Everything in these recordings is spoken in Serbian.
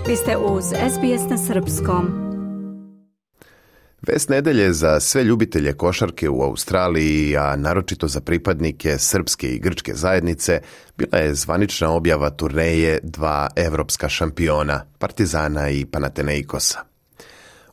Vi ste uz SBS na srpskom. Vest nedelje za sve ljubitelje košarke u Australiji, a naročito za pripadnike srpske i grčke zajednice, bila je zvanična objava turneje dva evropska šampiona, Partizana i Panathinaikosa.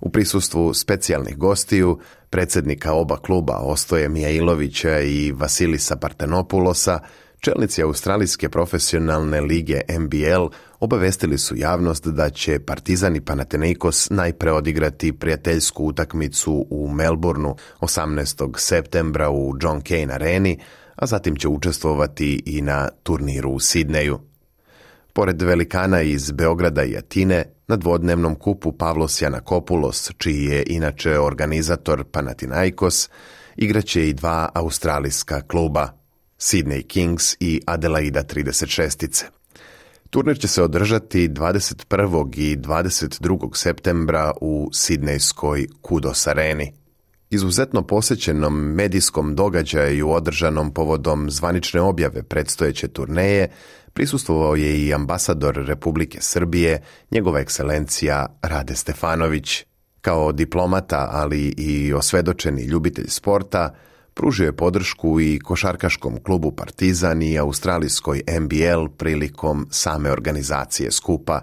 U prisustvu specijalnih gostiju, predsjednika oba kluba Ostoje Mijailovića i Vasilisa Partenopulosa, čelnici Australijske profesionalne lige NBL obavestili su javnost da će Partizan i Panathinaikos najpre odigrati prijateljsku utakmicu u Melbourneu 18. septembra u John Cain areni, a zatim će učestvovati i na turniru u Sidneju. Pored velikana iz Beograda i Atine, na dvodnevnom kupu Pavlos Janakopoulos, čiji je inače organizator Panathinaikos, igraće i dva australijska kluba, Sydney Kings i Adelaida 36. Turnir će se održati 21. i 22. septembra u sidnejskoj Kudos areni. Izuzetno posjećenom medijskom događaju održanom povodom zvanične objave predstojeće turneje prisustvovao je i ambasador Republike Srbije, njegova ekscelencija Rade Stefanović. Kao diplomata, ali i osvedočeni ljubitelj sporta, pružio je podršku i košarkaškom klubu Partizan i australijskoj NBL prilikom same organizacije skupa.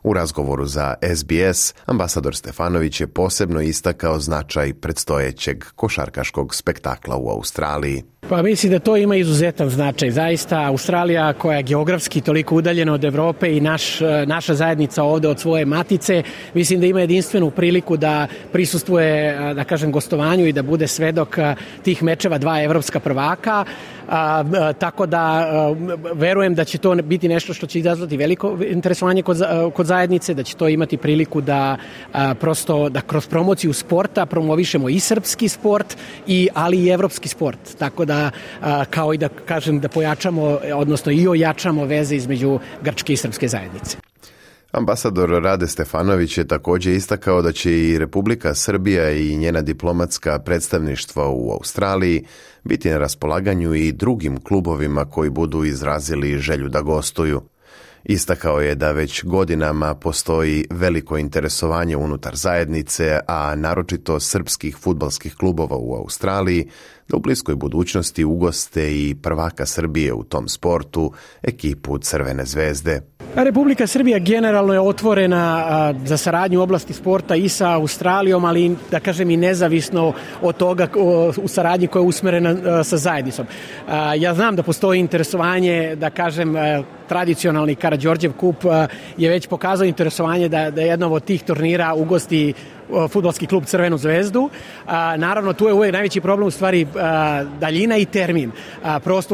U razgovoru za SBS, ambasador Stefanović je posebno istakao značaj predstojećeg košarkaškog spektakla u Australiji. Pa mislim da to ima izuzetan značaj. Zaista Australija, koja je geografski toliko udaljena od Evrope i naša zajednica ovde od svoje matice, mislim da ima jedinstvenu priliku da prisustvuje, da kažem, gostovanju i da bude svedok tih mečeva dva evropska prvaka. Tako da verujem da će to biti nešto što će izazvati veliko interesovanje kod zajednice, da će to imati priliku da prosto da kroz promociju sporta promovišemo i srpski sport, ali i evropski sport. Tako da kao i da kažem da pojačamo, odnosno i ojačamo veze između grčke i srpske zajednice. Ambasador Rade Stefanović je također istakao da će i Republika Srbija i njena diplomatska predstavništva u Australiji biti na raspolaganju i drugim klubovima koji budu izrazili želju da gostuju. Istakao je da već godinama postoji veliko interesovanje unutar zajednice, a naročito srpskih fudbalskih klubova u Australiji, da u bliskoj budućnosti ugoste i prvaka Srbije u tom sportu, ekipu Crvene zvezde. Republika Srbija generalno je otvorena za saradnju u oblasti sporta i sa Australijom, ali da kažem i nezavisno od toga u saradnji koja je usmerena sa zajednicom. Ja znam da postoji interesovanje, da kažem, tradicionalni Karađorđev kup je već pokazao interesovanje da jednom od tih turnira ugosti fudbalski klub Crvenu zvezdu. Naravno, tu je uvijek najveći problem u stvari daljina i termin.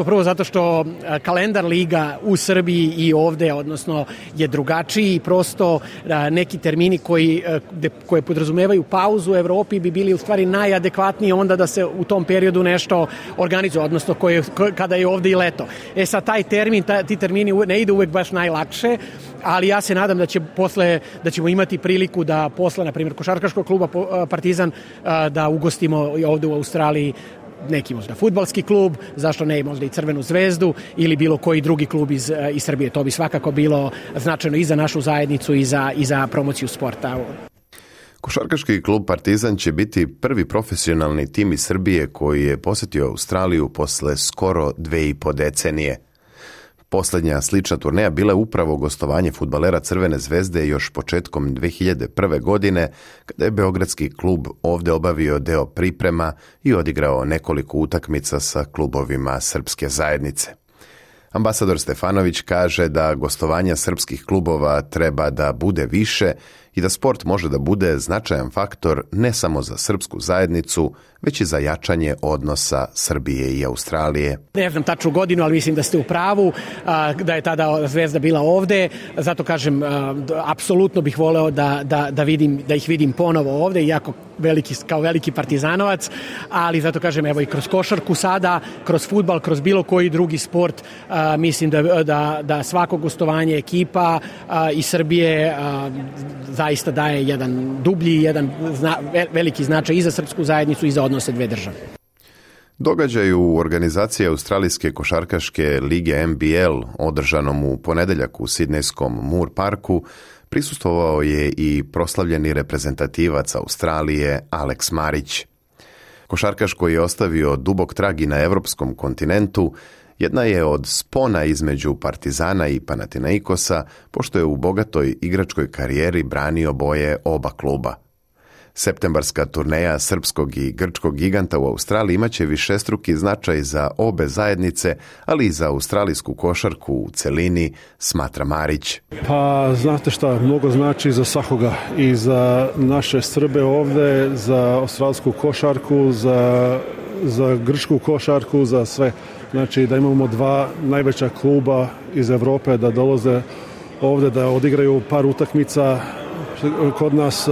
Prvo zato što kalendar liga u Srbiji i ovde, odnosno, je drugačiji i prosto neki termini koje podrazumevaju pauzu u Evropi bi bili u stvari najadekvatniji onda da se u tom periodu nešto organizuje, odnosno kada je ovde i leto. Sad taj termin, ti termini ne ide uvijek baš najlakše, ali ja se nadam da ćemo imati priliku da posle, na primjer, košarkaškog kluba Partizan, da ugostimo ovde u Australiji neki možda fudbalski klub, zašto ne možda i Crvenu zvezdu ili bilo koji drugi klub iz Srbije. To bi svakako bilo značajno i za našu zajednicu i za promociju sporta. Košarkaški klub Partizan će biti prvi profesionalni tim iz Srbije koji je posjetio Australiju posle skoro 2,5 decenije. Posljednja slična turneja bila je upravo gostovanje fudbalera Crvene zvezde još početkom 2001. godine, kada je beogradski klub ovdje obavio deo priprema i odigrao nekoliko utakmica sa klubovima srpske zajednice. Ambasador Stefanović kaže da gostovanja srpskih klubova treba da bude više i da sport može da bude značajan faktor ne samo za srpsku zajednicu, već i za jačanje odnosa Srbije i Australije. Ne znam tačnu godinu, ali mislim da ste u pravu, da je tada Zvezda bila ovde. Zato kažem, apsolutno bih voleo da ih vidim ponovo ovde, iako kao veliki partizanovac, ali zato kažem, evo i kroz košarku sada, kroz fudbal, kroz bilo koji drugi sport, mislim da svako gostovanje ekipa iz Srbije zaista daje jedan dublji, jedan veliki značaj i za srpsku zajednicu i za odnose dve države. Događaj u organizaciji Australijske košarkaške lige NBL, održanom u ponedeljak u sidnejskom Moore Parku, Prisustvovao je i proslavljeni reprezentativac Australije Alex Marić. Košarkaš koji je ostavio dubok trag i na evropskom kontinentu jedna je od spona između Partizana i Panathinaikosa, pošto je u bogatoj igračkoj karijeri branio boje oba kluba. Septembarska turneja srpskog i grčkog giganta u Australiji imaće višestruki značaj za obe zajednice, ali i za australijsku košarku u celini, smatra Marić. Pa znate šta, mnogo znači za svakoga i za naše Srbe ovde, za australijsku košarku, za grčku košarku, za sve. Znači da imamo dva najveća kluba iz Evrope da dolaze ovde da odigraju par utakmica kod nas,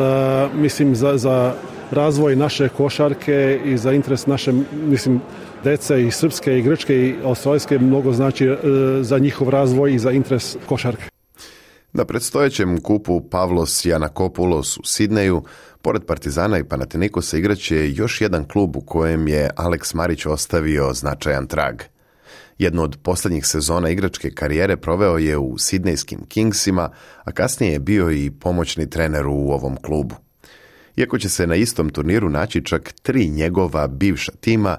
mislim za razvoj naše košarke i za interes naše, mislim, dece i srpske i grčke i australijske mnogo znači za njihov razvoj i za interes košarke. Na predstojećem kupu Pavlos Janakopoulos u Sidneju, pored Partizana i Panathinaikosa igraće još jedan klub u kojem je Alex Marić ostavio značajan trag. Jednu od posljednjih sezona igračke karijere proveo je u sidnejskim Kingsima, a kasnije je bio i pomoćni trener u ovom klubu. Iako će se na istom turniru naći čak 3 njegova bivša tima,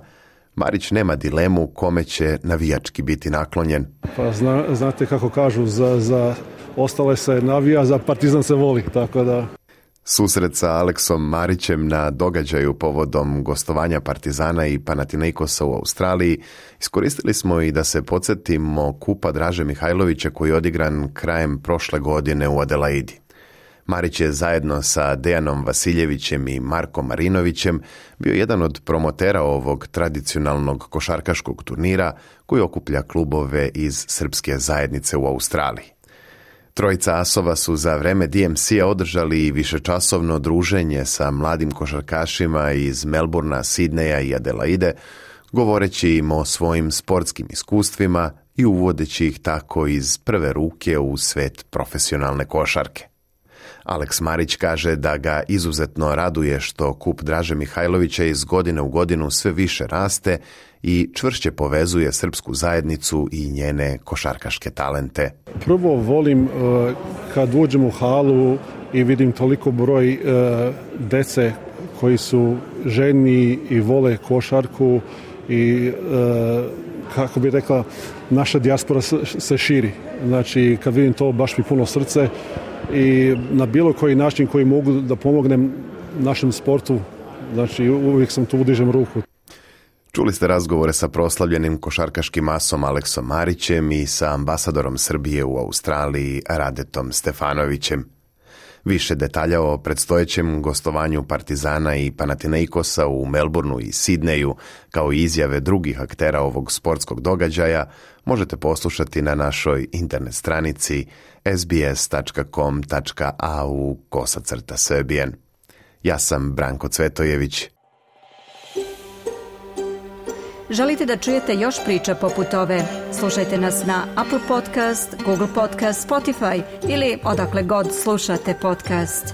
Marić nema dilemu kome će navijački biti naklonjen. Pa znate kako kažu, za ostale se navija, za Partizan se voli, tako da... Susret sa Aleksom Marićem na događaju povodom gostovanja Partizana i Panathinaikosa u Australiji iskoristili smo i da se podsjetimo kupa Draže Mihajlovića koji je odigran krajem prošle godine u Adelaidi. Marić je zajedno sa Dejanom Vasiljevićem i Markom Marinovićem bio jedan od promotera ovog tradicionalnog košarkaškog turnira koji okuplja klubove iz srpske zajednice u Australiji. Trojica asova su za vreme DMC-a održali i višečasovno druženje sa mladim košarkašima iz Melbourna, Sidneja i Adelaide, govoreći im o svojim sportskim iskustvima i uvodeći ih tako iz prve ruke u svet profesionalne košarke. Alex Marić kaže da ga izuzetno raduje što kup Draže Mihajlovića iz godine u godinu sve više raste i čvršće povezuje srpsku zajednicu i njene košarkaške talente. Prvo volim kad uđem u halu i vidim toliko broj dece koji su željni i vole košarku i kako bi rekla, naša dijaspora se širi. Znači kad vidim to baš mi puno srce i na bilo koji način koji mogu da pomognem našem sportu, znači uvijek sam tu, udižem ruku. Čuli ste razgovore sa proslavljenim košarkaškim asom Aleksom Marićem i sa ambasadorom Srbije u Australiji Radetom Stefanovićem. Više detalja o predstojećem gostovanju Partizana i Panathinaikosa u Melbourneu i Sidneju, kao i izjave drugih aktera ovog sportskog događaja, možete poslušati na našoj internet stranici sbs.com.au/Srbijen. Ja sam Branko Cvetojević. Želite da čujete još priča poput ove? Slušajte nas na Apple Podcast, Google Podcast, Spotify ili odakle god slušate podcast.